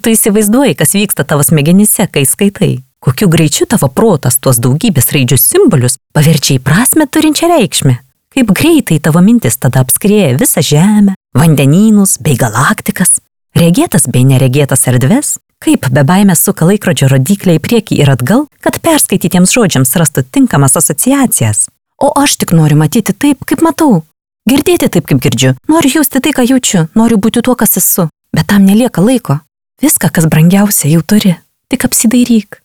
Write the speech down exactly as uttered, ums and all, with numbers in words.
tu įsivaizduoji, kas vyksta tavo smegenyse, kai skaitai? Kokiu greičiu tavo protas tuos daugybės raidžių simbolius paverčia į prasmę turinčią reikšmę? Kaip greitai tavo mintis tada apskrieja visą žemę, vandenynus bei galaktikas, regėtas bei neregėtas erdves? Kaip be baimės suka laikrodžio rodyklę į priekį ir atgal, kad perskaitytiems žodžiams rastų tinkamas asociacijas? O aš tik noriu matyti taip, kaip matau. Girdėti taip, kaip girdžiu. Noriu jausti tai, ką jaučiu. Noriu būti tuo, kas esu. Bet tam nelieka laiko. Viską, kas brangiausia, jau turi. Tik apsidairyk.